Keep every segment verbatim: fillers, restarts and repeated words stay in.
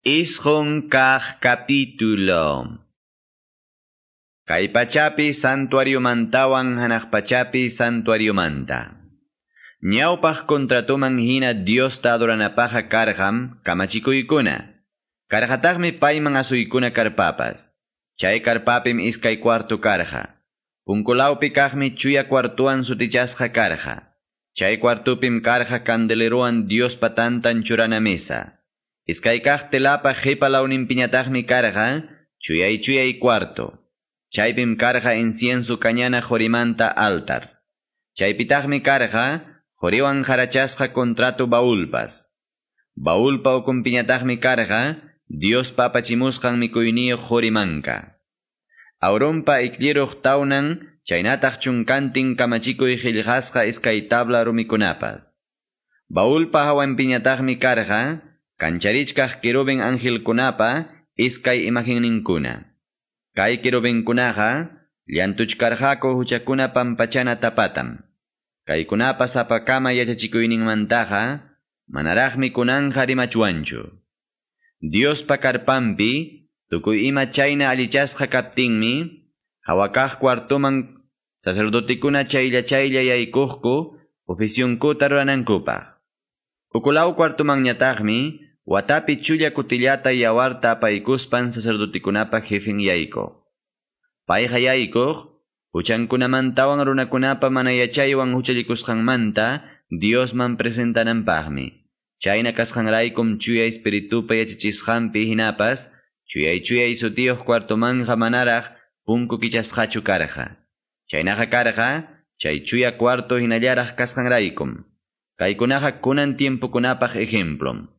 Isqun kaq capítulo. Kay pachapi santuariomantawan hanaq pachapi santuariomanta. Ñawpaq contratoman hina Diosta adoranapaqqa karqam kamachikuykuna. Karqataqmi payman asuykuna karpapas. Chay karpapim iskay cuarto karqa. Punkulawpi kaqmi chuya cuartuan sutichasqa karqa. Chay cuartupim karqa candeleroan Diospa tantan churana mesa. Iskay kaq telapa qipa lawninpiñataqmi karqa chuyay chuyay cuarto. Chaypim karqa incienso kañana qorimanta altar. Chaypitaqmi karqa qoriwan qarachasqa contrato baulpas. Baulpa ukunpiñataqmi karqa Diospa apachimusqan mikuyniyuq qorimanka. Aaronpa ikliruq tawnan chaynataq chunkantin kamachikuy qillqasqa iskay tabla rumikunapas. Baulpa hawanpiñataqmi karqa kancharichkaq querubin angelkunapa iskay imagenninkuna. Kay querubinkunaqa llantuchkarqaku huchakuna pampachana tapatam. Kaykunapa sapakama yachachikuyninmantaqa manaraqmi kunanja rimachwanchu. Diospa karpanpi tukuy ima chayna allichasqa kaptinmi hawakaq cuartoman sacerdotikuna chaylla chaylla yaykuqku oficionkuta ruranankupaq. Ukulaw cuartomanñataqmi watapi chulla kutillata yawarta apaykuspan sacerdotikunapa jefen yaykuq. Payqa yaykuq huchankunamantawan runakunapa mana yachaywan huchallikusqanmanta Diosman presentananpaqmi. Chayna kasqanraykum chuya espiritupa yachachisqanpi hinapas chuyay chuyay sutiyuq cuartomanja manaraq punku kichasqachu karqa. Chaynaqa karqa chay chuya cuarto hinallaraq kasqanraykum. Kaykunaqa kunan tiempokunapaq ejemplom.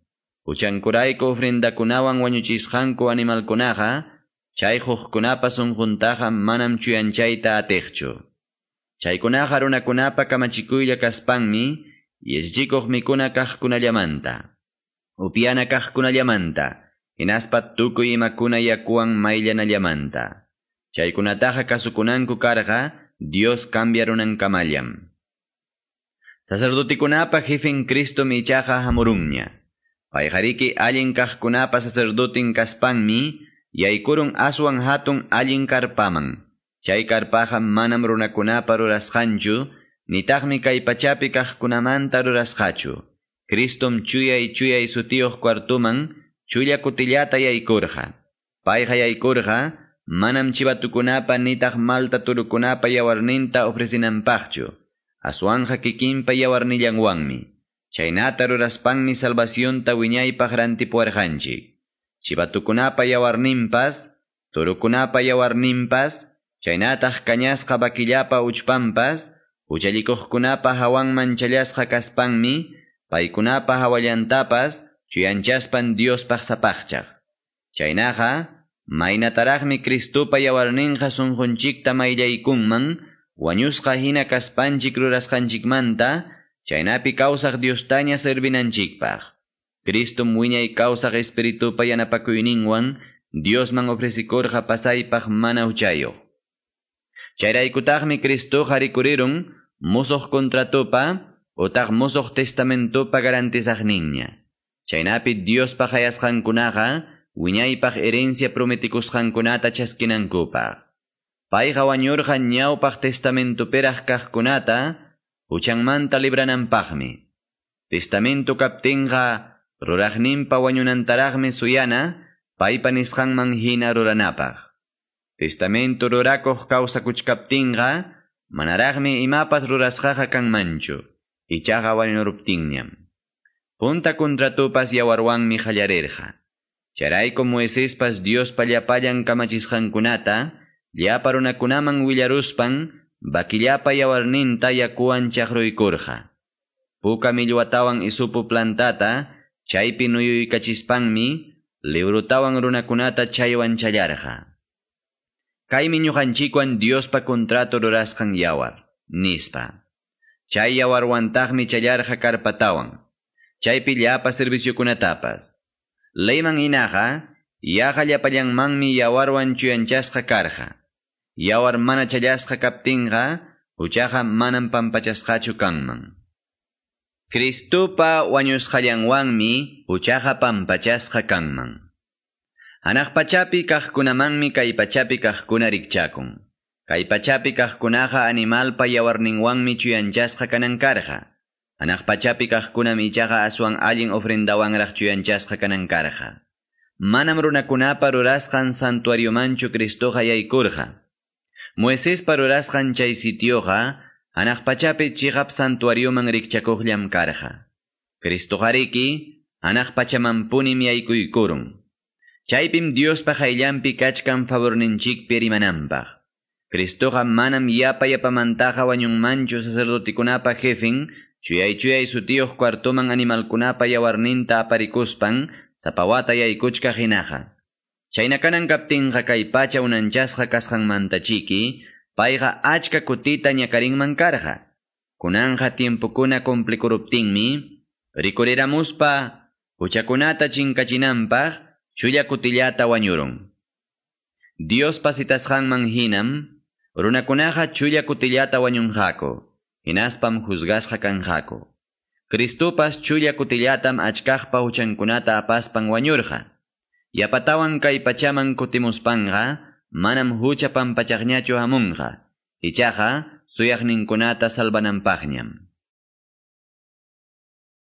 Huchankurayku ofrendakunawan wañuchisqanku animalkunaqa chay hukkunapa sunquntaqa manam chuyanchayta atiqchu. Chaykunaqa runakunapa kamachikuylla kaspanmi yachachikuq mikuna kaqkunallamanta, upyana kaqkunallamanta, hinaspa tukuy imakuna yakuwan mayllanallamanta. Chaykunataqa kasukunanku karqa Dios cambiarunankamallam. Sacerdotikunapa jefen Cristo ichaqa hamurunña. Payqariki allin kaqkunapa sacerdotin kaspanmi yaykurun aswan hatun allin karpaman. Chay karpaqa manam runakunapa rurasqanchu, nitaqmi kay pachapi kaqkunamanta rurasqachu. Cristom chuyay chuyay sutiyuq cuartuman chulla kutillata yaykurqa. Payqa yaykurqa manam chivatukunapa nitaq malta turukunapa yawarninta ofrecinanpaqchu. Aswanja kikinpa yawarnillanwanmi. Chaynata ruraspanmi salvacionta wiñaypaq rantipuwarqanchik. Chivatukunapa yawarninpas, turukunapa yawarninpas, chaynataq kañasqa vaquillapa uchpanpas, huchallikuqkunapa hawanman challasqa kaspanmi, paykunapa hawallantapas chuyanchaspan Diospaq sapaqchaq. Chaynaqa, maynataraqmi Cristopa yawarninqa sunqunchikta mayllaykunman, wañusqa hina kaspanchik rurasqanchikmanta, chaynapi kawsaq Diostaña servinanchikpaq. Cristom wiñay kawsaq espiritupa yanapakuyninwan Diosman ofrecikurqa pasaypaq mana huchayuq. Chayraykutaqmi Cristoqa rikurirun musuq contratopa utaq musuq testamentopa garantizaqninña. Chaynapi Diospa hayasqankunaqa wiñaypaq herencia prometikusqankunata chaskinankupaq. Payqa wañurqa ñawpaq testamentoperaq kaqkunata huchanmanta librananpaqmi. Testamento kaptinqa ruraqninpa wañunantaraqmi suyana paypa nisqanman hina ruranapaq. Testamento rurakuq kawsakuchkaptinqa manaraqmi imapas rurasqaqa kanmanchu, ichaqa wañuruptinñam. Punta contratopas yawarwanmi qallarirqa. Chayrayku Moisespas Diospa llapallan kamachisqankunata llapa runakunaman willaruspan vaquillapa yawarninta yakuwan chaqruykurqa. Puka millwatawan isupu plantata chaypi nuyuykachispanmi librutawan runakunata chaywan challarqa. Kaymi ñuqanchikwan Diospa contrato rurasqan yawar, nispa. Chay yawarwantaqmi challarqa karpatawan, chaypi llapa serviciokunatapas. Leyman hinaqa, yaqa llapallanmanmi yawarwan chuyanchasqa karqa. Yawar mana challasqa kaptinqa, huchaqa manam pampachasqachu kanman. Cristopa wañusqallanwanmi huchaqa pampachasqa kanman. Hanaq pachapi kaqkunamanmi kay pachapi kaqkuna rikchakun. Kay pachapi kaqkunaqa animalpa yawarninwanmi chuyanchasqa kanan karqa. Hanaq pachapi kaqkunam ichaqa aswan allin ofrendawanraq chuyanchasqa kanan karqa. Manam runakunapa rurasqan santuariomanchu Cristoqa yaykurqa. Moisespa rurasqan chay sitioqa hanaq pachapi chiqap santuarioman rikchakuqllam karqa. Cristoqariki hanaq pachamanpunim yaykuykurun. Chaypim Diospa qayllanpi kachkan favorninchikpi rimananpaq. Cristoqa manam yapa yapamantaqa wañunmanchu sacerdotikunapa jefen, chuyay chuyay sutiyuq cuartoman animalkunapa yawarninta aparikuspan, sapa wata yaykuchkaq hinaqa. Chayna kanan kaptinqa kay pacha unanchasqa kasqanmanta chiki, payqa achka kutita ñakarinman karqa. Kunanqa tiempokuna cumplikuruptinmi, rikuriramuspa huchakunata chinkachinanpaq, chulla kutillata wañurun. Diospa citasqanman hinam, runakunaqa chulla kutillata wañunqaku, hinaspam juzgasqa kanqaku. Cristopas chulla kutillatam achkaqpa huchankunata apaspan wañurqa. Yapatawan kay pachaman kutimuspanqa, manam hucha pampachaqñachu hamunqa, ichaqa suyaqninkunata salvananpaqñam.